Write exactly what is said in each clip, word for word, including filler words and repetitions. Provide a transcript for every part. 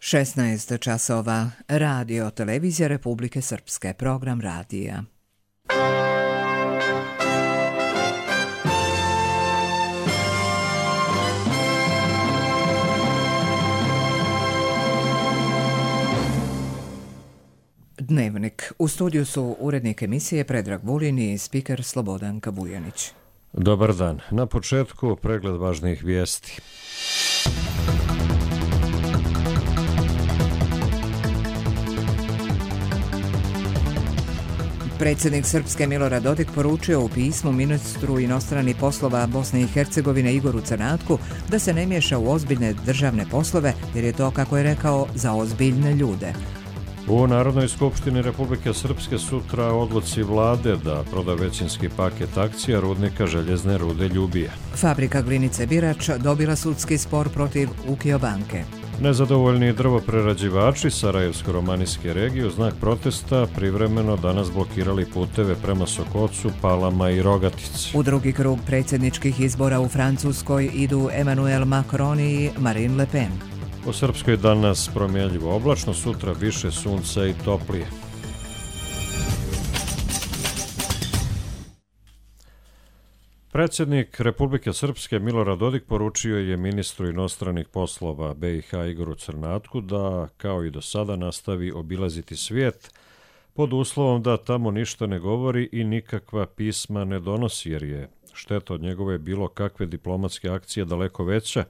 šesnaest časova. Radio Televizija Republike Srpske. Program radija. Dnevnik. U studiju su urednik emisije Predrag Vulin i spiker Slobodan Kabujanić. Dobar dan. Na početku pregled važnih vijesti. Predsjednik Srpske Milorad Dodik poručio u pismu ministru inostranih poslova Bosne i Hercegovine Igoru Crnatku da se ne miješa u ozbiljne državne poslove jer je to, kako je rekao, za ozbiljne ljude. U Narodnoj skupštini Republike Srpske sutra odluci vlade da proda većinski paket akcija rudnika željezne rude Ljubije. Fabrika glinice Birač dobila sudski spor protiv Ukio banke. Nezadovoljni drvoprerađivači Sarajevsko-romanijske regije u znak protesta privremeno danas blokirali puteve prema Sokocu, Palama i Rogatici. U drugi krug predsjedničkih izbora u Francuskoj idu Emmanuel Macron i Marine Le Pen. U Srpskoj danas promjenljivo oblačno, sutra više sunca i toplije. Predsjednik Republike Srpske Milorad Dodik poručio je ministru inostranih poslova B i H Igoru Crnatku da, kao i do sada, nastavi obilaziti svijet pod uslovom da tamo ništa ne govori i nikakva pisma ne donosi, jer je šteta od njegove bilo kakve diplomatske akcije daleko veća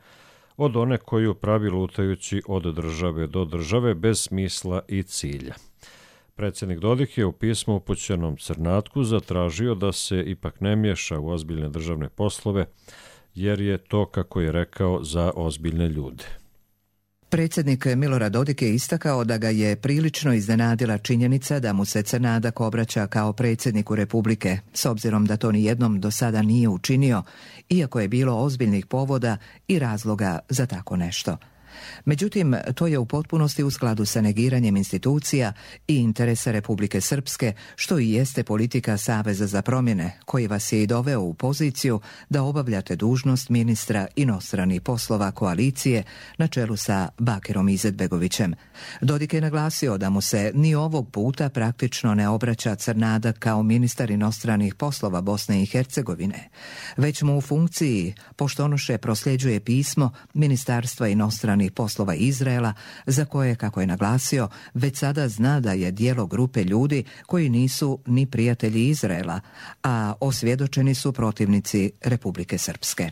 od one koju pravi lutajući od države do države bez smisla i cilja. Predsjednik Dodik je u pismu upućenom Crnatku zatražio da se ipak ne miješa u ozbiljne državne poslove, jer je to, kako je rekao, za ozbiljne ljude. Predsjednik Milorad Dodik je istakao da ga je prilično iznenadila činjenica da mu se Crnadak obraća kao predsjedniku Republike, s obzirom da to ni jednom do sada nije učinio, iako je bilo ozbiljnih povoda i razloga za tako nešto. Međutim, to je u potpunosti u skladu sa negiranjem institucija i interesa Republike Srpske, što i jeste politika Saveza za promjene, koji vas je i doveo u poziciju da obavljate dužnost ministra inostranih poslova koalicije na čelu sa Bakirom Izetbegovićem. Dodik je naglasio da mu se ni ovog puta praktično ne obraća Crnadak kao ministar inostranih poslova Bosne i Hercegovine, već mu u funkciji poštonoše prosljeđuje pismo Ministarstva inostranih poslova Izraela, za koje, kako je naglasio, već sada zna da je dijelo grupe ljudi koji nisu ni prijatelji Izraela, a osvjedočeni su protivnici Republike Srpske.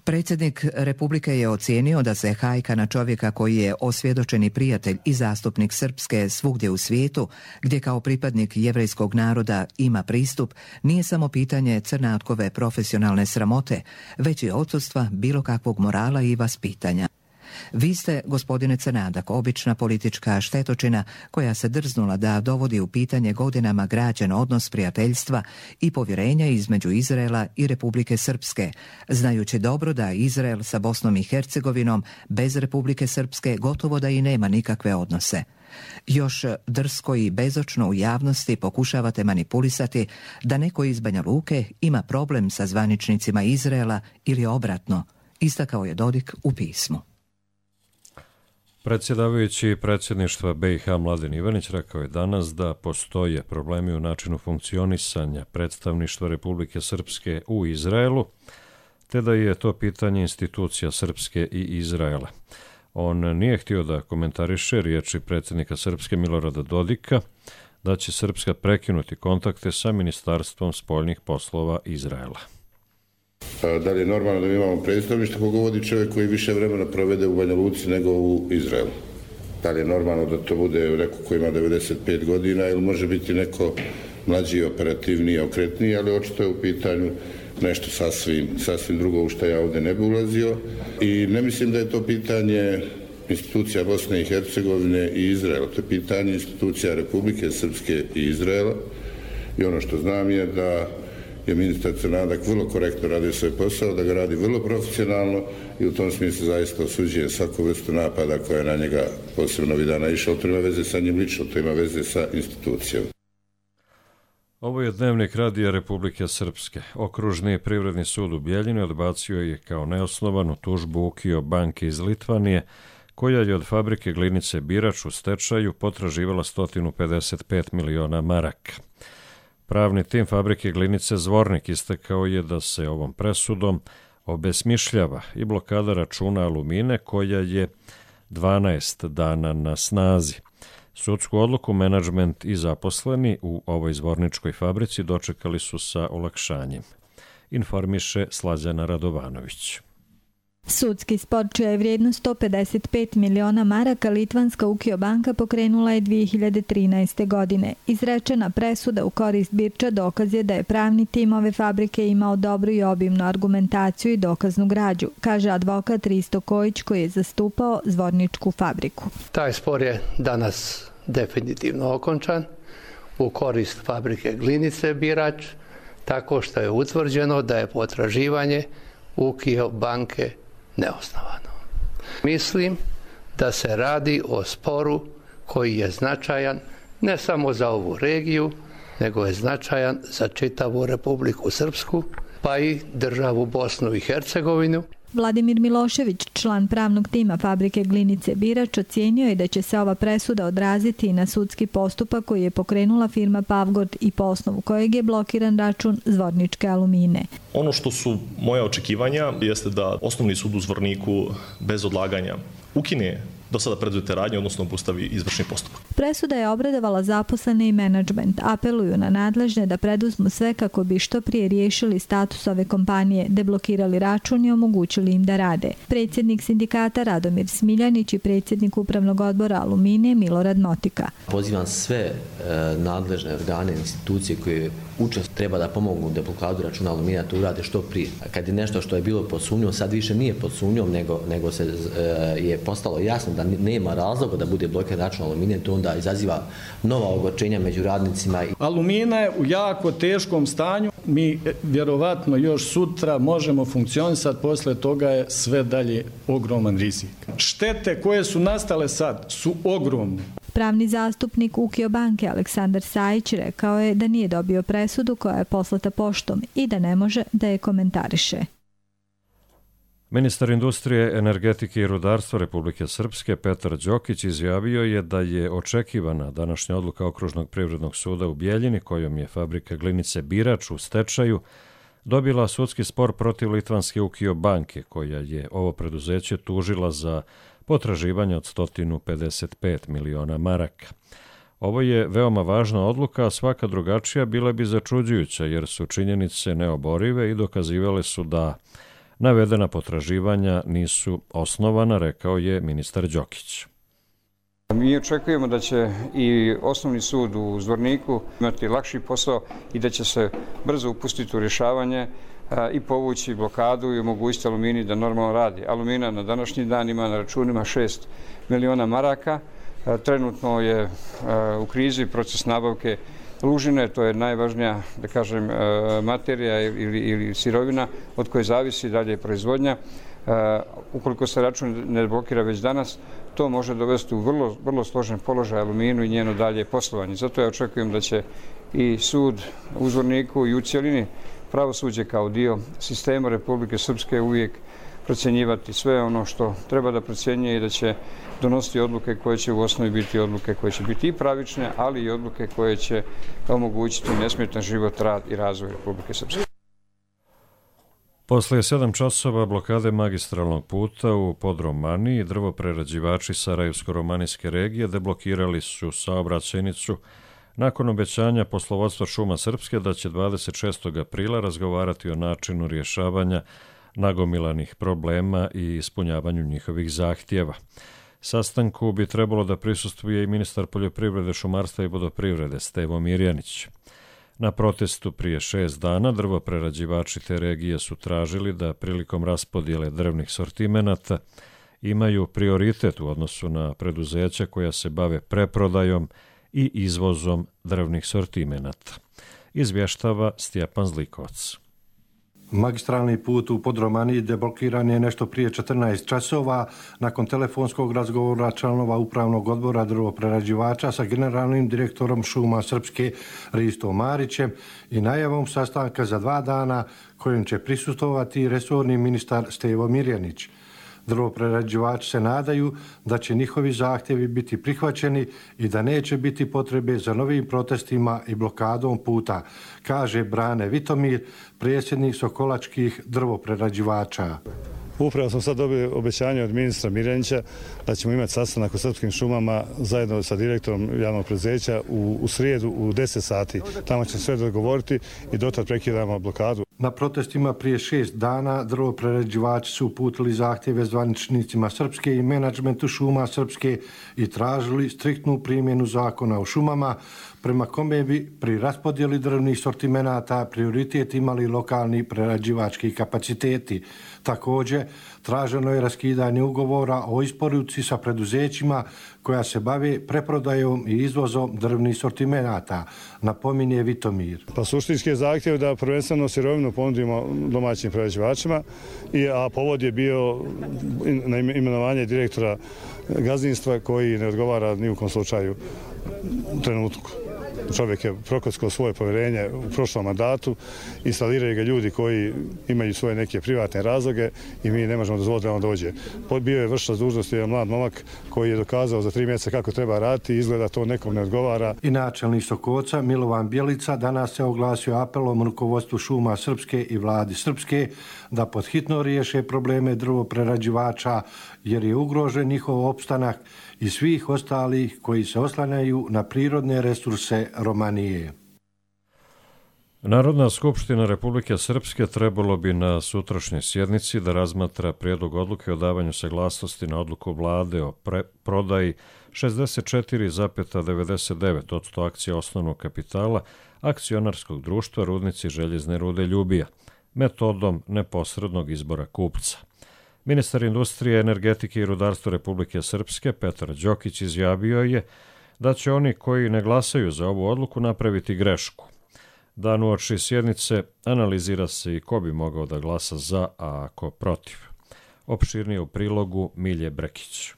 Predsjednik Republike je ocijenio da se hajka na čovjeka koji je osvjedočeni prijatelj i zastupnik Srpske svugdje u svijetu, gdje kao pripadnik jevrejskog naroda ima pristup, nije samo pitanje Crnatkove profesionalne sramote, već i odsustva bilo kakvog morala i vaspitanja. Vi ste, gospodine Crnadak, obična politička štetočina koja se drznula da dovodi u pitanje godinama građen odnos prijateljstva i povjerenja između Izraela i Republike Srpske, znajući dobro da Izrael sa Bosnom i Hercegovinom bez Republike Srpske gotovo da i nema nikakve odnose. Još drsko i bezočno u javnosti pokušavate manipulisati da neko iz Banja Luke ima problem sa zvaničnicima Izraela ili obratno, istakao je Dodik u pismu. Predsjedavajući predsjedništva B i H Mladen Ivanić rekao je danas da postoje problemi u načinu funkcionisanja predstavništva Republike Srpske u Izraelu, te da je to pitanje institucija Srpske i Izraela. On nije htio da komentariše riječi predsjednika Srpske Milorada Dodika da će Srpska prekinuti kontakte sa Ministarstvom spoljnih poslova Izraela. Da li je normalno da mi imamo predstavništvo koga vodi čovjek koji više vremena provede u Banja Luci nego u Izraelu? Da li je normalno da to bude neko koji ima devedeset pet godina ili može biti neko mlađi, operativniji, okretniji, ali očito je u pitanju nešto sasvim, sasvim drugo u što ja ovdje ne bi ulazio. I ne mislim da je to pitanje institucija Bosne i Hercegovine i Izraela. To je pitanje institucija Republike Srpske i Izraela. I ono što znam je da je ministar Crnadak vrlo korektno radio svoj posao, da ga radi vrlo profesionalno i u tom smislu zaista osuđuje svaku vrstu napada koja je na njega posebno ovih dana išla. To ima veze sa njim lično, to ima veze sa institucijom. Ovo je dnevnik Radija Republike Srpske. Okružni privredni sud u Bjeljini odbacio je kao neosnovanu tužbu Ukio banke iz Litvanije koja je od fabrike glinice Birač u stečaju potraživala sto pedeset pet miliona maraka. Pravni tim fabrike glinice Zvornik istakao je da se ovom presudom obesmišljava i blokada računa Alumine koja je dvanaest dana na snazi. Sudsku odluku menadžment i zaposleni u ovoj zvorničkoj fabrici dočekali su sa olakšanjem, informiše Slađana Radovanović. Sudski spor čija je vrijednost sto pedeset pet miliona maraka litvanska Ukio banka pokrenula je dvije hiljade trinaeste. godine. Izrečena presuda u korist Birča dokaz je da je pravni tim ove fabrike imao dobru i obimnu argumentaciju i dokaznu građu, kaže advokat Risto Kojić koji je zastupao zvorničku fabriku. Taj spor je danas definitivno okončan u korist fabrike glinice Birač, tako što je utvrđeno da je potraživanje Ukio banke neosnovano. Mislim da se radi o sporu koji je značajan ne samo za ovu regiju, nego je značajan za čitavu Republiku Srpsku, pa i državu Bosnu i Hercegovinu. Vladimir Milošević, član pravnog tima fabrike glinice Birač, ocijenio je da će se ova presuda odraziti i na sudski postupak koji je pokrenula firma Pavgord i po osnovu kojeg je blokiran račun Zvorničke Alumine. Ono što su moja očekivanja jeste da Osnovni sud u Zvorniku bez odlaganja ukine do sada preduzete radnje, odnosno obustavi izvršni postupak. Presuda je obradovala zaposlene i menadžment. Apeluju na nadležne da preduzmu sve kako bi što prije riješili status ove kompanije, deblokirali račun i omogućili im da rade. Predsjednik sindikata Radomir Smiljanić i predsjednik upravnog odbora Alumine Milorad Motika. Pozivam sve e, nadležne organe i institucije koje učest treba da pomognu deblokadu računa Alumina, to urade što prije. Kad je nešto što je bilo pod sumnjom, sad više nije pod sumnjom, nego, nego se e, je postalo jasno da nema razloga da bude blokiran račun Alumine, to onda izaziva nova ogorčenja među radnicima. Alumina je u jako teškom stanju. Mi vjerovatno još sutra možemo funkcionisati, posle toga je sve dalje ogroman rizik. Štete koje su nastale sad su ogromne. Pravni zastupnik Ukio banke Aleksandar Sajić rekao je da nije dobio presudu koja je poslata poštom i da ne može da je komentariše. Ministar industrije, energetike i rudarstva Republike Srpske Petar Đokić izjavio je da je očekivana današnja odluka Okružnog privrednog suda u Bijeljini, kojom je fabrika glinice Birač u stečaju dobila sudski spor protiv litvanske Ukio banke, koja je ovo preduzeće tužila za potraživanje od sto pedeset pet miliona maraka. Ovo je veoma važna odluka, a svaka drugačija bila bi začuđujuća, jer su činjenice neoborive i dokazivale su da navedena potraživanja nisu osnovana, rekao je ministar Đokić. Mi očekujemo da će i Osnovni sud u Zvorniku imati lakši posao i da će se brzo upustiti u rješavanje i povući blokadu i omogućiti Alumini da normalno radi. Alumina na današnji dan ima na računima šest miliona maraka. Trenutno je u krizi proces nabavke lužine, to je najvažnija, da kažem, materija ili, ili sirovina od koje zavisi dalje proizvodnja. Ukoliko se račun ne blokira već danas, to može dovesti u vrlo, vrlo složen položaj Aluminu i njeno dalje poslovanje. Zato ja očekujem da će i sud u Zvorniku i u cjelini pravosuđe kao dio sistema Republike Srpske uvijek procjenjivati sve ono što treba da procjenjuje i da će donositi odluke koje će u osnovi biti odluke koje će biti i pravične, ali i odluke koje će omogućiti nesmetan život, rad i razvoj Republike Srpske. Posle sedam časova blokade magistralnog puta u Podromaniji, drvoprerađivači Sarajevsko-romanijske regije deblokirali su saobraćajnicu nakon obećanja poslovodstva Šuma Srpske da će dvadeset šestog aprila razgovarati o načinu rješavanja nagomilanih problema i ispunjavanju njihovih zahtjeva. Sastanku bi trebalo da prisustvuje i ministar poljoprivrede, šumarstva i vodoprivrede Stevo Mirjanić. Na protestu prije šest dana drvoprerađivači te regije su tražili da prilikom raspodjele drvnih sortimenata imaju prioritet u odnosu na preduzeća koja se bave preprodajom i izvozom drvnih sortimenata. Izvještava Stjepan Zlikovac. Magistralni put u Podromaniji deblokiran je nešto prije četrnaest časova nakon telefonskog razgovora članova upravnog odbora drvoprerađivača sa generalnim direktorom Šuma Srpske Ristom Marićem i najavom sastanka za dva dana kojim će prisustvovati resorni ministar Stevo Mirjanić. Drvoprerađivači se nadaju da će njihovi zahtjevi biti prihvaćeni i da neće biti potrebe za novim protestima i blokadom puta, kaže Brane Vitomir, predsjednik Sokolačkih drvoprerađivača. Upravo smo sad dobili obećanje od ministra Miljenića da ćemo imati sastanak u Srpskim šumama zajedno sa direktorom javnog preduzeća u, u srijedu u deset sati. Tamo će sve dogovoriti i dotad prekidamo blokadu. Na protestima prije šest dana drvoprerađivači su uputili zahtjeve zvaničnicima Srpske i menadžmentu šuma Srpske i tražili striktnu primjenu zakona o šumama, prema kome bi pri raspodjeli drvnih sortimenata prioritet imali lokalni prerađivački kapaciteti. Također, traženo je raskidanje ugovora o isporuci sa preduzećima koja se bave preprodajom i izvozom drvnih sortimenata, napominje Vitomir. Pa suštinski je zahtjev da prvenstveno sirovinu ponudimo domaćim prerađivačima, a povod je bio na imenovanje direktora gazdinstva koji ne odgovara ni u kom slučaju trenutku. Čovjek je prokockao svoje povjerenje u prošlom mandatu, instaliraju ga ljudi koji imaju svoje neke privatne razloge i mi ne možemo dozvoliti da on dođe. Bio je vršilac dužnosti jedan mlad momak koji je dokazao za tri mjeseca kako treba raditi i izgleda to nekom ne odgovara. I načelnik Sokoca Milovan Bjelica danas se oglasio apelom rukovodstvu šuma Srpske i vladi Srpske da podhitno riješe probleme drvoprerađivača jer je ugrožen njihov opstanak i svih ostalih koji se oslanjaju na prirodne resurse Romanije. Narodna skupština Republike Srpske trebalo bi na sutrašnjoj sjednici da razmatra prijedlog odluke o davanju saglasnosti na odluku vlade o pre- prodaji šezdeset četiri zarez devedeset devet posto akcija osnovnog kapitala akcionarskog društva Rudnici željezne rude Ljubija, metodom neposrednog izbora kupca. Ministar industrije, energetike i rudarstva Republike Srpske Petar Đokić izjavio je da će oni koji ne glasaju za ovu odluku napraviti grešku. Dan uoči sjednice analizira se i ko bi mogao da glasa za, a ako protiv. Opširnije u prilogu Milje Brekić.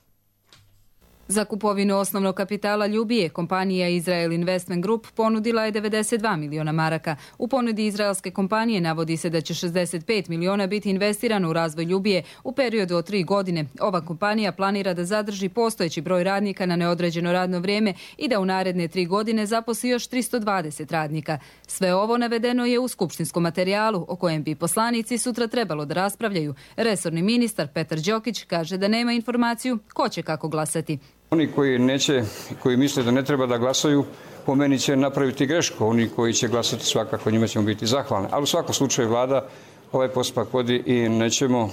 Za kupovinu osnovnog kapitala Ljubije, kompanija Israel Investment Group ponudila je devedeset dva miliona maraka. U ponudi izraelske kompanije navodi se da će šezdeset pet miliona biti investirano u razvoj Ljubije u periodu od tri godine. Ova kompanija planira da zadrži postojeći broj radnika na neodređeno radno vrijeme i da u naredne tri godine zaposli još tristo dvadeset radnika. Sve ovo navedeno je u skupštinskom materijalu o kojem bi poslanici sutra trebalo da raspravljaju. Resorni ministar Petar Đokić kaže da nema informaciju ko će kako glasati. Oni koji neće, koji misle da ne treba da glasaju, po meni će napraviti grešku. Oni koji će glasati svakako njima ćemo biti zahvalni. Ali u svakom slučaju vlada ovaj postupak vodi i nećemo uh,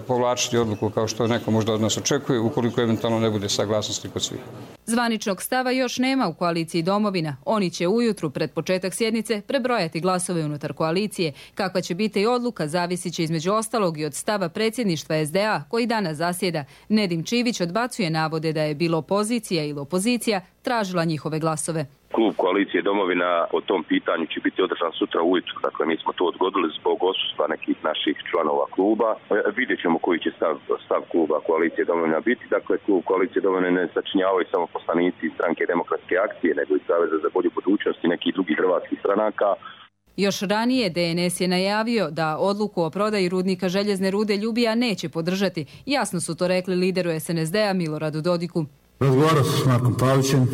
povlačiti odluku kao što neko možda od nas očekuje ukoliko eventualno ne bude saglasnosti kod svih. Zvaničnog stava još nema u koaliciji Domovina. Oni će ujutru pred početak sjednice prebrojati glasove unutar koalicije. Kakva će biti i odluka zavisit će između ostalog i od stava predsjedništva es de a koji danas zasjeda. Nedim Čivić odbacuje navode da je bilo opozicija ili opozicija tražila njihove glasove. Klub koalicije Domovina o tom pitanju će biti održan sutra ujutru. Dakle, mi smo to odgodili zbog odsustva nekih naših članova kluba. Vidjet ćemo koji će stav, stav kluba koalicije Domovina biti. Dakle, klub koalicije Domovina ne sačinjavaju samo poslanici stranke Demokratske akcije, nego i Saveza za bolju budućnost i nekih drugih hrvatskih stranaka. Još ranije de en es je najavio da odluku o prodaji rudnika željezne rude Ljubija neće podržati. Jasno su to rekli lideru es en es de a Miloradu Dodiku. Razgovarao sam s Markom Pavićem,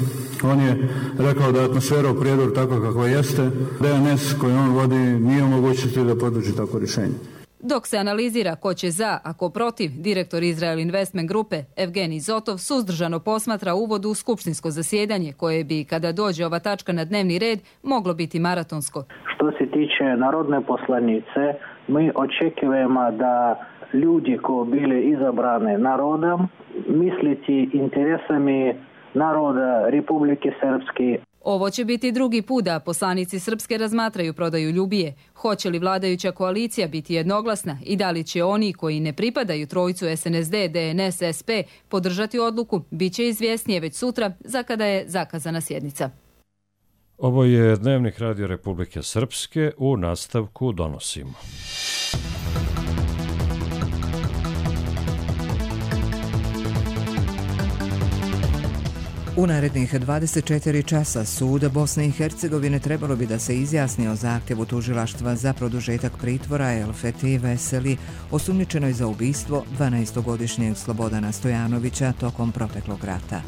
on je rekao da je atmosfera u Prijedoru takva kakva jeste, de en es koji on vodi nije mogućnosti da podrži tako rješenje. Dok se analizira ko će za, a ko protiv, direktor Israel Investment Grupe Evgenij Zotov suzdržano posmatra uvod u skupštinsko zasjedanje koje bi, kada dođe ova tačka na dnevni red, moglo biti maratonsko. Što se tiče narodne poslanice, mi očekujemo da ljudi koji bili izabrani narodom misliti interesami naroda Republike Srpske. Ovo će biti drugi put da poslanici Srpske razmatraju prodaju Ljubije. Hoće li vladajuća koalicija biti jednoglasna i da li će oni koji ne pripadaju trojcu es en es de, de en es, es pe podržati odluku, bit će izvjesnije već sutra za kada je zakazana sjednica. Ovo je Dnevnik Radio Republike Srpske, u nastavku donosimo. U narednih dvadeset četiri časa sud Bosne i Hercegovine trebalo bi da se izjasni o zahtjevu tužilaštva za produžetak pritvora Elfeti Veseli, osumnjičenoj za ubistvo dvanaestogodišnjeg Slobodana Stojanovića tokom proteklog rata.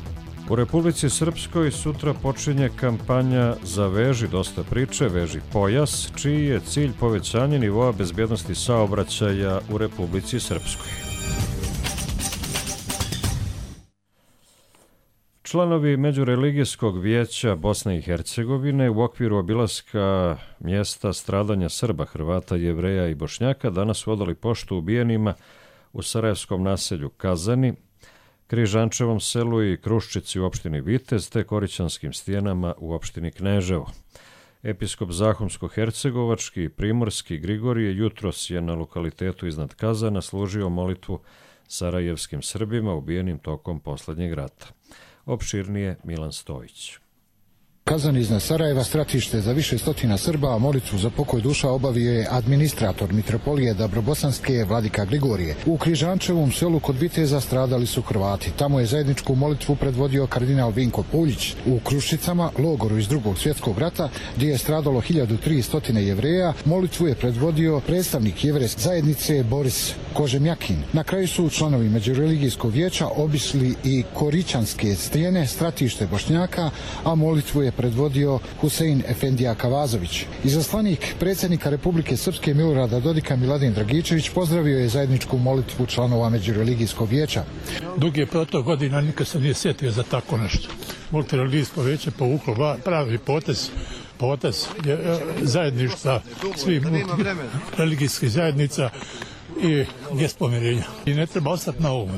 U Republici Srpskoj sutra počinje kampanja za Veži dosta priče, Veži pojas, čiji je cilj povećanje nivoa bezbjednosti saobraćaja u Republici Srpskoj. Članovi Međureligijskog vijeća Bosne i Hercegovine u okviru obilaska mjesta stradanja Srba, Hrvata, Jevreja i Bošnjaka danas su odali poštu ubijenima u sarajevskom naselju Kazani, Križančevom selu i Kruščici u opštini Vitez te Korićanskim stijenama u opštini Kneževo. Episkop Zahumsko-Hercegovački i Primorski Grigorije jutros je na lokalitetu iznad Kazana služio molitvu sarajevskim Srbima ubijenim tokom posljednjeg rata. Opširnije Milan Stojić. Kazan iznad Sarajeva stratište za više stotina Srba, a molitvu za pokoj duša obavio je administrator Mitropolije Dabrobosanske Vladika Grigorije. U Križančevom selu kod Viteza stradali su Hrvati. Tamo je zajedničku molitvu predvodio kardinal Vinko Puljić. U Krušicama, logoru iz drugog svjetskog rata, gdje je stradalo hiljadu tristo Jevreja, molitvu je predvodio predstavnik jevrejske zajednice Boris Kožemjakin. Na kraju su članovi Međureligijskog vijeća obišli i Korićanske stijene, stratište Bošnjaka, a molitvu je predvodio Husein Efendija Kavazović. Izaslanik predsjednika Republike Srpske Milorada Dodika Miladin Dragičević pozdravio je zajedničku molitvu članova Međureligijskog vijeća. Dugi je protok godina, nikad se nije sjetio za tako nešto. Multireligijsko vijeće povuklo pravi potez, potez zajedništva svih religijskih zajednica i gest pomirenja. I ne treba ostati na ovom.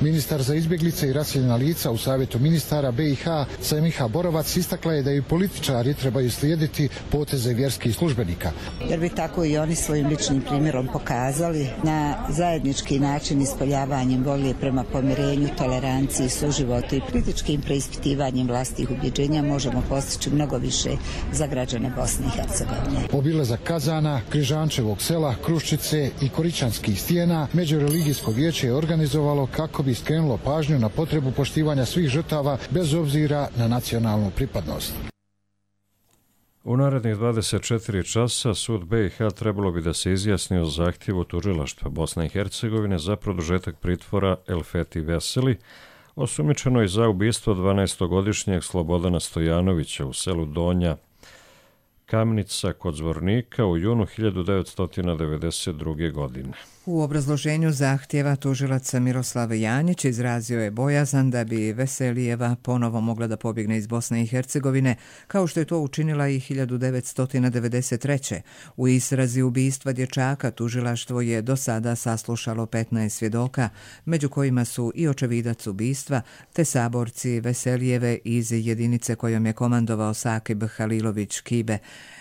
Ministar za izbjeglice i raseljena lica u Savjetu ministara B i H Semiha Borovac istakla je da i političari trebaju slijediti poteze vjerskih službenika. Jer bi tako i oni svojim ličnim primjerom pokazali na zajednički način ispoljavanjem volje prema pomirenju, toleranciji, suživotu i kritičkim preispitivanjem vlastih ubjeđenja možemo postići mnogo više za građane Bosne i Hercegovine. Obilazak Kazana, Križančevog sela, Kruščice i Korićanskih stijena Međureligijsko vijeće je organizovalo kako bi skrenulo pažnju na potrebu poštivanja svih žrtava bez obzira na nacionalnu pripadnost. U narednih dvadeset četiri časa sud B i H trebalo bi da se izjasni o zahtjevu tužilaštva Bosne i Hercegovine za produžetak pritvora Elfeti Veseli, osumnjičenoj za ubistvo dvanaestogodišnjeg Slobodana Stojanovića u selu Donja Kamnica kod Zvornika u junu hiljadu devetsto devedeset druge. godine. U obrazloženju zahtjeva tužilac Miroslav Janjić izrazio je bojazan da bi Veselijeva ponovo mogla da pobjegne iz Bosne i Hercegovine, kao što je to učinila i hiljadu devetsto devedeset treće. U istrazi ubistva dječaka tužilaštvo je do sada saslušalo petnaest svjedoka, među kojima su i očevidac ubistva, te saborci Veselijeve iz jedinice kojom je komandovao Sakib Halilović Kibe.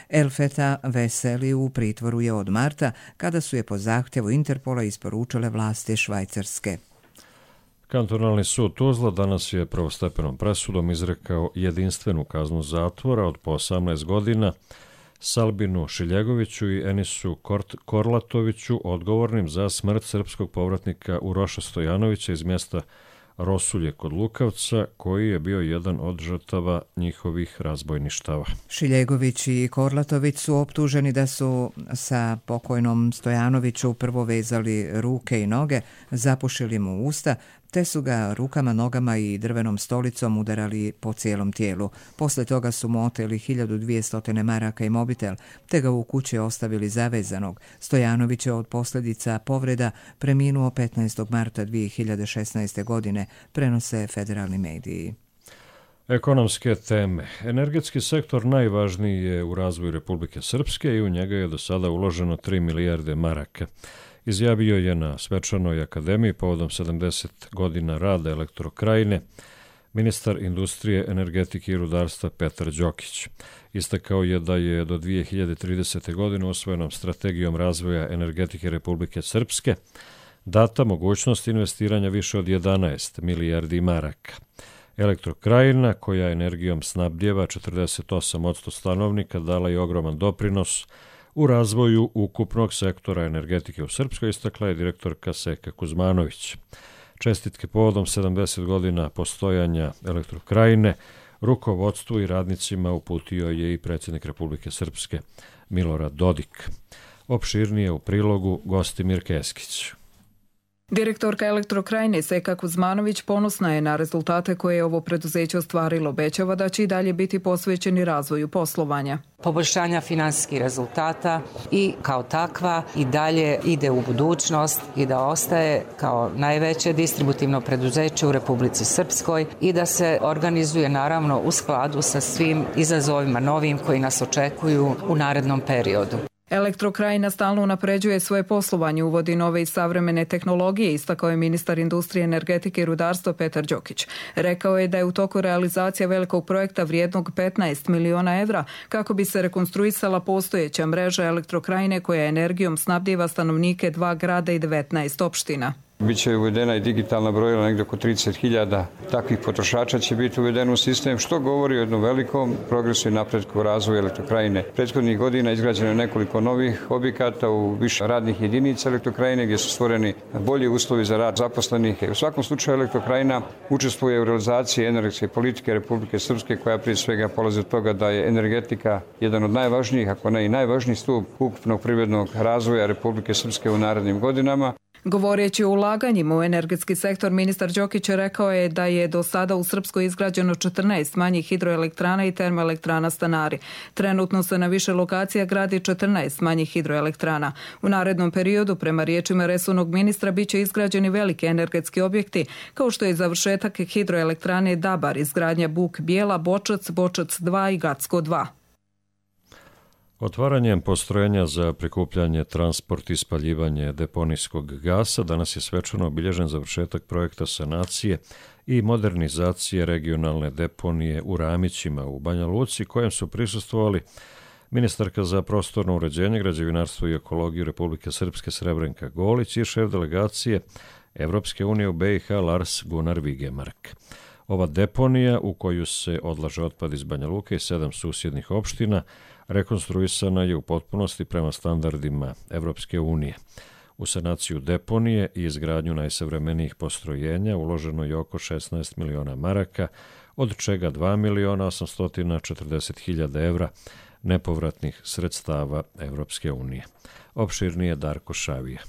Elfeta Veseli u pritvoru je od marta, kada su je po zahtjevu Interpola isporučile vlasti Švajcarske. Kantonalni sud Tuzla danas je prvostepenom presudom izrekao jedinstvenu kaznu zatvora od po osamnaest godina Salbinu Šiljegoviću i Enisu Korlatoviću, odgovornim za smrt srpskog povratnika Uroša Stojanovića iz mjesta Rosulje kod Lukavca, koji je bio jedan od žrtava njihovih razbojništava. Šiljegović i Korlatović su optuženi da su sa pokojnom Stojanoviću prvo vezali ruke i noge, zapušili mu usta, te su ga rukama, nogama i drvenom stolicom udarali po cijelom tijelu. Posle toga su mu oteli hiljadu dvjesto maraka i mobitel, te ga u kući ostavili zavezanog. Stojanović je od posljedica povreda preminuo petnaestog marta dvije hiljade šesnaeste. godine, prenose federalni mediji. Ekonomske teme. Energetski sektor najvažniji je u razvoju Republike Srpske i u njega je do sada uloženo tri milijarde maraka. Izjavio je na svečanoj akademiji povodom sedamdeset godina rada Elektrokrajine ministar industrije, energetike i rudarstva Petar Đokić. Istakao je da je do dvije hiljade tridesete. godine usvojenom strategijom razvoja energetike Republike Srpske data mogućnost investiranja više od jedanaest milijardi maraka. Elektrokrajina, koja energijom snabdjeva četrdeset osam posto stanovnika, dala je ogroman doprinos u razvoju ukupnog sektora energetike u Srpskoj, istakla je direktorka Seka Kuzmanović. Čestitke povodom sedamdeset godina postojanja Elektrokrajine rukovodstvu i radnicima uputio je i predsjednik Republike Srpske Milorad Dodik. Opširnije u prilogu Gostimir Keskić. Direktorka Elektrokrajine Seka Kuzmanović ponosna je na rezultate koje je ovo preduzeće ostvarilo. Obećava da će i dalje biti posvećeni razvoju poslovanja. Poboljšanja finansijskih rezultata i kao takva i dalje ide u budućnost i da ostaje kao najveće distributivno preduzeće u Republici Srpskoj i da se organizuje naravno u skladu sa svim izazovima novim koji nas očekuju u narednom periodu. Elektrokrajina stalno unapređuje svoje poslovanje, uvodi nove i savremene tehnologije, istakao je ministar industrije, energetike i rudarstva Petar Đokić. Rekao je da je u toku realizacija velikog projekta vrijednog petnaest miliona evra kako bi se rekonstruisala postojeća mreža Elektrokrajine koja energijom snabdijeva stanovnike dva grada i devetnaest opština. Biće uvedena i digitalna brojila, negdje oko trideset hiljada takvih potrošača će biti uvedeno u sistem, što govori o jednom velikom progresu i napretku u razvoju Elektrokrajine. Prethodnih godina izgrađeno je nekoliko novih objekata u više radnih jedinica Elektrokrajine gdje su stvoreni bolji uslovi za rad zaposlenih. U svakom slučaju Elektrokrajina učestvuje u realizaciji energetske politike Republike Srpske koja prije svega polazi od toga da je energetika jedan od najvažnijih, ako ne i najvažniji stup ukupnog privrednog razvoja Republike Srpske u narednim godinama. Govoreći o ulaganjima u energetski sektor, ministar Đokić rekao je da je do sada u Srpskoj izgrađeno četrnaest manjih hidroelektrana i termoelektrana Stanari. Trenutno se na više lokacija gradi četrnaest manjih hidroelektrana. U narednom periodu, prema riječima resornog ministra, biće izgrađeni veliki energetski objekti, kao što je završetak hidroelektrane Dabar, izgradnja Buk Bijela, Bočac, Bočac dva i Gacko dva. Otvaranjem postrojenja za prikupljanje, transport i spaljivanje deponijskog gasa danas je svečano obilježen završetak projekta sanacije i modernizacije regionalne deponije u Ramićima u Banja Luci, kojem su prisustvovali ministarka za prostorno uređenje, građevinarstvo i ekologiju Republike Srpske Srebrenka Golić i šef delegacije Evropske unije u B i H Lars Gunnar Vigemark. Ova deponija, u koju se odlaže otpad iz Banja Luke i sedam susjednih opština, rekonstruisana je u potpunosti prema standardima Evropske unije. U sanaciju deponije i izgradnju najsavremenijih postrojenja uloženo je oko šesnaest miliona maraka, od čega dva miliona osamsto četrdeset hiljada evra nepovratnih sredstava Evropske unije. Opširnije Darko Šavija.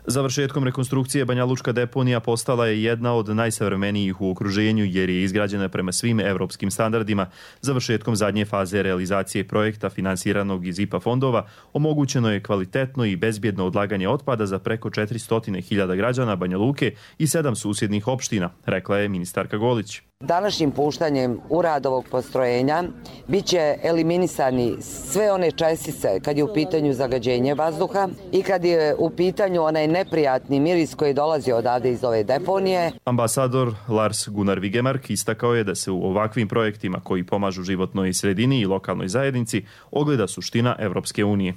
Završetkom rekonstrukcije Banja Lučka deponija postala je jedna od najsavremenijih u okruženju jer je izgrađena prema svim evropskim standardima. Završetkom zadnje faze realizacije projekta finansiranog iz I P A fondova omogućeno je kvalitetno i bezbjedno odlaganje otpada za preko četiristo hiljada građana Banja Luke i sedam susjednih opština, rekla je ministarka Golić. Današnjim puštanjem u rad ovog postrojenja bit će eliminisani sve one čestice kad je u pitanju zagađenje vazduha i kad je u pitanju onaj neprijatni miris koji dolazi odavde iz ove deponije. Ambasador Lars Gunnar Vigemark istakao je da se u ovakvim projektima koji pomažu životnoj sredini i lokalnoj zajednici ogleda suština Evropske unije.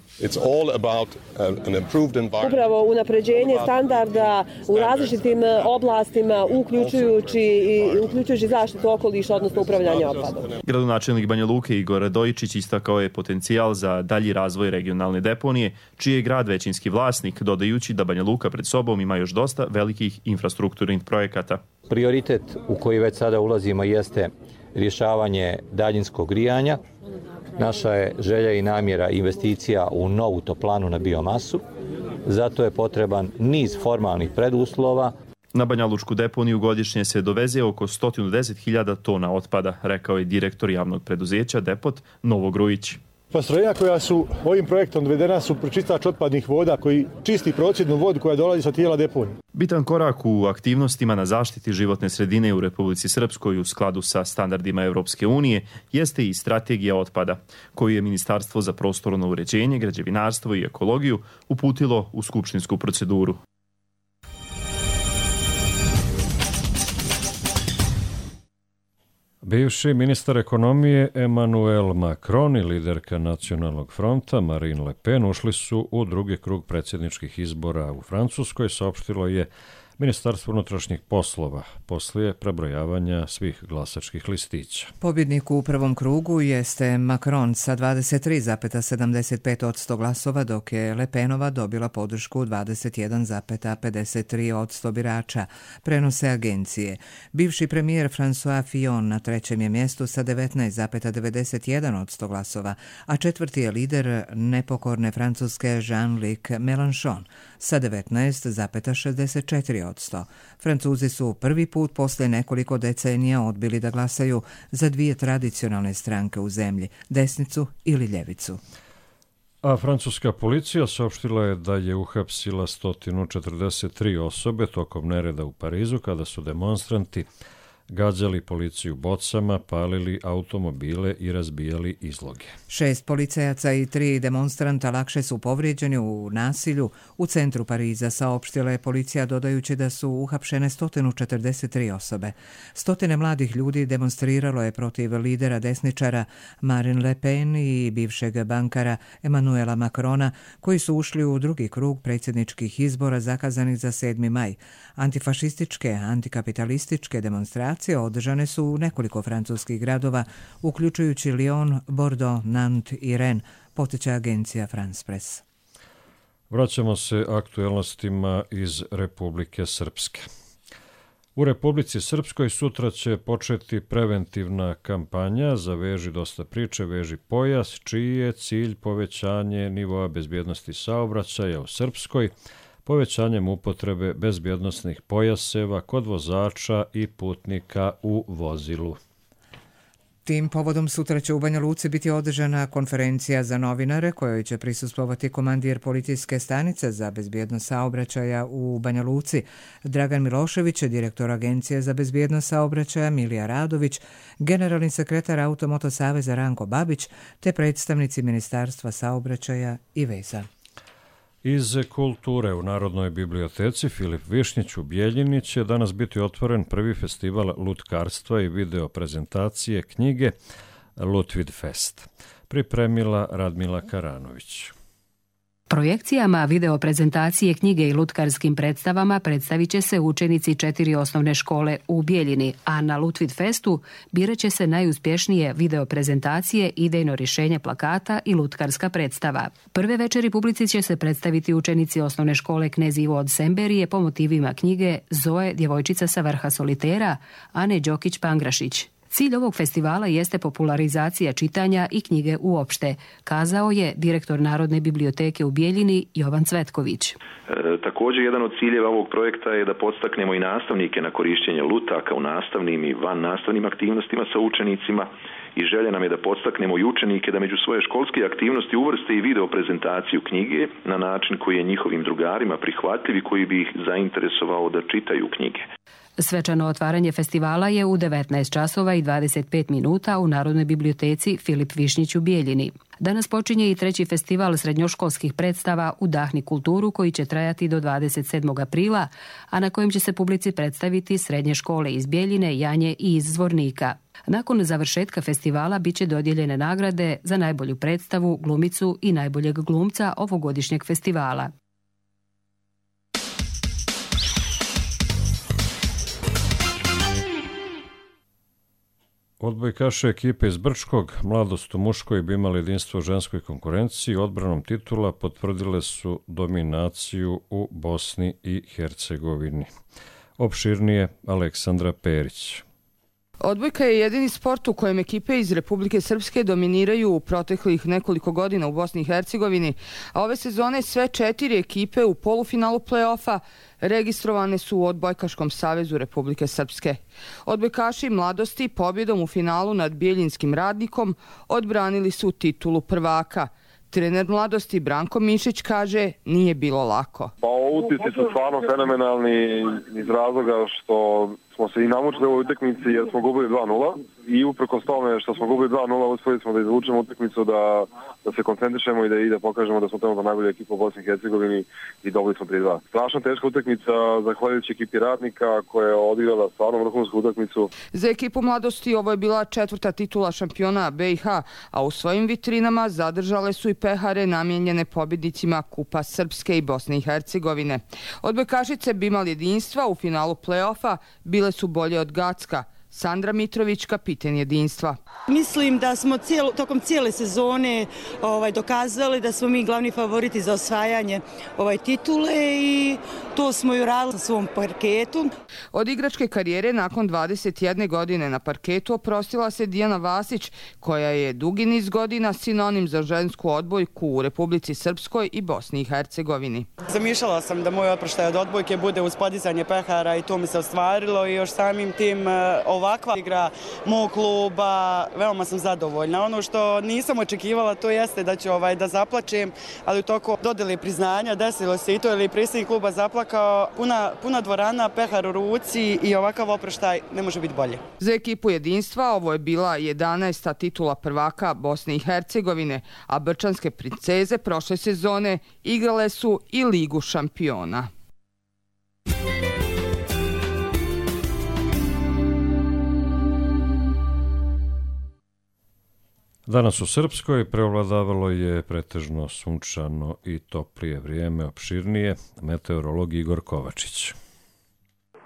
Upravo unapređenje standarda u različitim oblastima, uključujući i uključujući zaštitu okoliša, odnosno upravljanje otpadom. Gradonačelnik Banja Luke Igor Radojičić istakao je potencijal za dalji razvoj regionalne deponije, čiji je grad većinski vlasnik, dodajući da Banja Luka pred sobom ima još dosta velikih infrastrukturnih projekata. Prioritet u koji već sada ulazimo jeste rješavanje daljinskog grijanja. Naša je želja i namjera investicija u novu toplanu na biomasu. Zato je potreban niz formalnih preduslova. Na Banja Lučku deponiju godišnje se doveze oko sto deset hiljada tona otpada, rekao je direktor javnog preduzeća Depot Novo Grujić. Postrojenja koja su ovim projektom dovedena su pročistač otpadnih voda koji čisti procjednu vodu koja dolazi sa tijela deponije. Bitan korak u aktivnostima na zaštiti životne sredine u Republici Srpskoj u skladu sa standardima Evropske unije jeste i strategija otpada, koju je Ministarstvo za prostorno uređenje, građevinarstvo i ekologiju uputilo u skupštinsku proceduru. Bivši ministar ekonomije Emmanuel Macron i liderka Nacionalnog fronta Marine Le Pen ušli su u drugi krug predsjedničkih izbora u Francuskoj, saopštilo je Ministarstvo unutrašnjih poslova poslije prebrojavanja svih glasačkih listića. Pobjednik u prvom krugu jeste Macron sa dvadeset tri zarez sedamdeset pet posto glasova, dok je Le Penova dobila podršku dvadeset jedan zarez pedeset tri posto birača, prenose agencije. Bivši premijer François Fillon na trećem je mjestu sa devetnaest zarez devedeset jedan posto glasova, a četvrti je lider nepokorne Francuske Jean-Luc Mélenchon sa devetnaest zarez šezdeset četiri posto. Francuzi su prvi put poslije nekoliko decenija odbili da glasaju za dvije tradicionalne stranke u zemlji, desnicu ili ljevicu. A francuska policija saopštila je da je uhapsila sto četrdeset tri osobe tokom nereda u Parizu kada su demonstranti gađali policiju bocama, palili automobile i razbijali izloge. Šest policajaca i tri demonstranta lakše su povrijeđeni u nasilju u centru Pariza, saopštila je policija dodajući da su uhapšene sto četrdeset tri osobe. Stotine mladih ljudi demonstriralo je protiv lidera desničara Marine Le Pen i bivšeg bankara Emmanuela Macrona, koji su ušli u drugi krug predsjedničkih izbora zakazanih za sedmi maj. Antifašističke, antikapitalističke demonstracije održane su u nekoliko francuskih gradova, uključujući Lyon, Bordeaux, Nantes i Rennes, potiče agencija France Press. Vraćamo se aktuelnostima iz Republike Srpske. U Republici Srpskoj sutra će početi preventivna kampanja za Veži dosta priče, veži pojas, čiji je cilj povećanje nivoa bezbjednosti saobraćaja u Srpskoj, povećanjem upotrebe bezbjednosnih pojaseva kod vozača i putnika u vozilu. Tim povodom sutra će u Banja Luci biti održana konferencija za novinare kojoj će prisustvovati komandir policijske stanice za bezbjednost saobraćaja u Banja Luci Dragan Milošević, direktor Agencije za bezbjednost saobraćaja Milija Radović, generalni sekretar Automoto saveza Ranko Babić te predstavnici Ministarstva saobraćaja i veza. Iz kulture u Narodnoj biblioteci Filip Višnjić u Bijeljini će danas biti otvoren prvi festival lutkarstva i video prezentacije knjige Lutvid Fest. Pripremila Radmila Karanović. Projekcijama video prezentacije knjige i lutkarskim predstavama predstavit će se učenici četiri osnovne škole u Bijeljini, a na Lutvid Festu birat će se najuspješnije video prezentacije, idejno rješenje plakata i lutkarska predstava. Prve večeri publici će se predstaviti učenici osnovne škole Knez Ivo od Semberije po motivima knjige Zoe, djevojčica sa vrha solitera, Ane Đokić-Pangrašić. Cilj ovog festivala jeste popularizacija čitanja i knjige uopšte, kazao je direktor Narodne biblioteke u Bijeljini Jovan Cvetković. E, također jedan od ciljeva ovog projekta je da podstaknemo i nastavnike na korištenje lutaka u nastavnim i van nastavnim aktivnostima sa učenicima i želja nam je da podstaknemo i učenike da među svoje školske aktivnosti uvrste i video prezentaciju knjige na način koji je njihovim drugarima prihvatljiv i koji bi ih zainteresovao da čitaju knjige. Svečano otvaranje festivala je u devetnaest časova i dvadeset pet minuta u Narodnoj biblioteci Filip Višnjić u Bijeljini. Danas počinje i treći festival srednjoškolskih predstava Udahni kulturu koji će trajati do dvadeset sedmog aprila, a na kojem će se publici predstaviti srednje škole iz Bijeljine, Janje i iz Zvornika. Nakon završetka festivala bit će dodijeljene nagrade za najbolju predstavu, glumicu i najboljeg glumca ovogodišnjeg festivala. Odbojkaše ekipe iz Brčkog, Mladost u muškoj bi imali jedinstvo u ženskoj konkurenciji, odbranom titula potvrdile su dominaciju u Bosni i Hercegovini. Opširnije Aleksandra Perić. Odbojka je jedini sport u kojem ekipe iz Republike Srpske dominiraju u proteklih nekoliko godina u Bosni i Hercegovini, a ove sezone sve četiri ekipe u polufinalu play-offa registrovane su u Odbojkaškom savezu Republike Srpske. Odbojkaši Mladosti pobjedom u finalu nad Bijeljinskim Radnikom odbranili su titulu prvaka. Trener Mladosti Branko Mišić kaže nije bilo lako. Pa utisci su stvarno fenomenalni iz razloga što smo smo se i namučili u ovoj utakmici jer smo gubili dva nula i uprkos tome što smo gubili dva nula uspjeli smo da izvučemo utakmicu, da, da se koncentrišemo i da, i da pokažemo da smo tamo najbolja ekipa u Bosni i Hercegovini i dobili smo tri dva. Strašno teška utakmica zahvaljujući ekipi Ratnika koja je odigrala stvarno vrhunsku utakmicu. Za ekipu Mladosti ovo je bila četvrta titula šampiona B i H, a u svojim vitrinama zadržale su i pehare namijenjene pobjednicima Kupa Srpske i Bosne i Hercegovine. Odbojkašice bi imali jedinstva u finalu play-offa, bile su bolje od Gacka. Sandra Mitrović, kapiten jedinstva. Mislim da smo cijelo, tokom cijele sezone ovaj, dokazali da smo mi glavni favoriti za osvajanje ovaj, titule i to smo i uradili na svom parketu. Od igračke karijere nakon dvadeset jedne godine na parketu oprostila se Dijana Vasić, koja je dugi niz godina sinonim za žensku odbojku u Republici Srpskoj i Bosni i Hercegovini. Zamišljala sam da moj oproštaj od odbojke bude uz podizanje pehara i to mi se ostvarilo i još samim tim ovakva igra mog kluba, veoma sam zadovoljna. Ono što nisam očekivala to jeste da ću ovaj, da zaplačem, ali u toku dodjele priznanja desilo se i to, jer je predsjednik kluba zaplakao, puna, puna dvorana, pehar u ruci i ovakav oproštaj ne može biti bolje. Za ekipu jedinstva ovo je bila jedanaesta titula prvaka Bosne i Hercegovine, a brčanske princeze prošle sezone igrale su i Ligu šampiona. Danas u Srpskoj preovladavalo je pretežno sunčano i toplije vrijeme, opširnije. Meteorolog Igor Kovačić.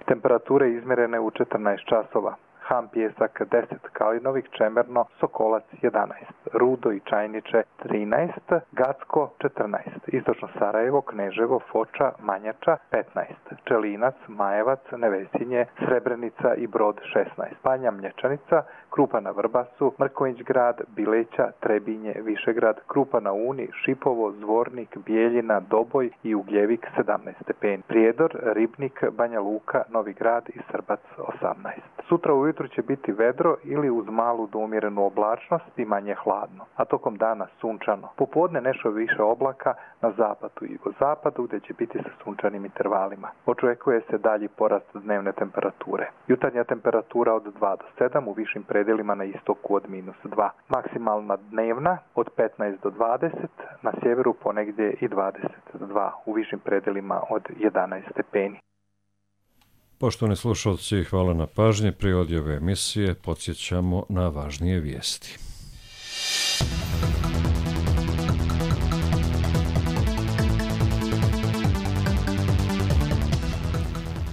Temperature izmjerene u četrnaest časova. Ham Pjesak deset, Kalinovik, Čemerno, Sokolac jedanaest, Rudo i Čajniče trinaest, Gacko četrnaest, Istočno Sarajevo, Kneževo, Foča, Manjača petnaest, Čelinac, Majevac, Nevesinje, Srebrenica i Brod šesnaest, Banja Mlječanica, Krupa na Vrbasu, Mrkonjić grad, Bileća, Trebinje, Višegrad, Krupa na Uni, Šipovo, Zvornik, Bijeljina, Doboj i Ugljevik sedamnaest stepeni, Prijedor, Ribnik, Banja Luka, Novi Grad i Srbac osamnaest. Sutra ujutru će biti vedro ili uz malu do umjerenu oblačnost i manje hladno, a tokom dana sunčano. Popodne nešto više oblaka na zapadu i jugozapadu gdje će biti sa sunčanim intervalima. Očekuje se dalji porast dnevne temperature. Jutarnja temperatura od dva do sedam, u višim predelima na istoku od minus dva. Maksimalna dnevna od petnaest do dvadeset, na sjeveru ponegdje i dvadeset dva, u višim predelima od jedanaest stepeni. Poštovani slušalci, hvala na pažnji. Prije odjave emisije podsjećamo na važnije vijesti.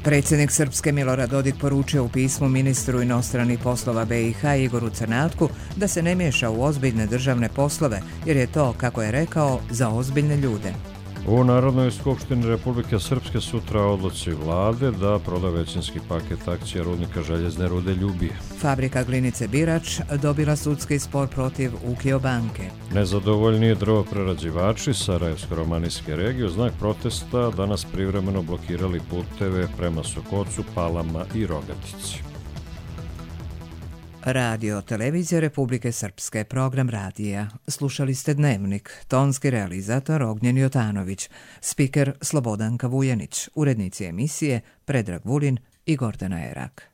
Predsjednik Srpske Milorad Dodik poručio u pismu ministru inostranih poslova B i H Igoru Crnatku da se ne miješa u ozbiljne državne poslove, jer je to, kako je rekao, za ozbiljne ljude. U Narodnoj skupštini Republike Srpske sutra odluci vlade da proda većinski paket akcija rudnika željezne rude Ljubije. Fabrika glinice Birač dobila sudski spor protiv Ukio banke. Nezadovoljni drvoprerađivači Sarajevsko-romanijske regije u znak protesta danas privremeno blokirali puteve prema Sokocu, Palama i Rogatici. Radio Televizija Republike Srpske, program radija. Slušali ste Dnevnik, tonski realizator Ognjen Jotanović, spiker Slobodanka Vujanić, urednici emisije Predrag Vulin i Gordana Erak.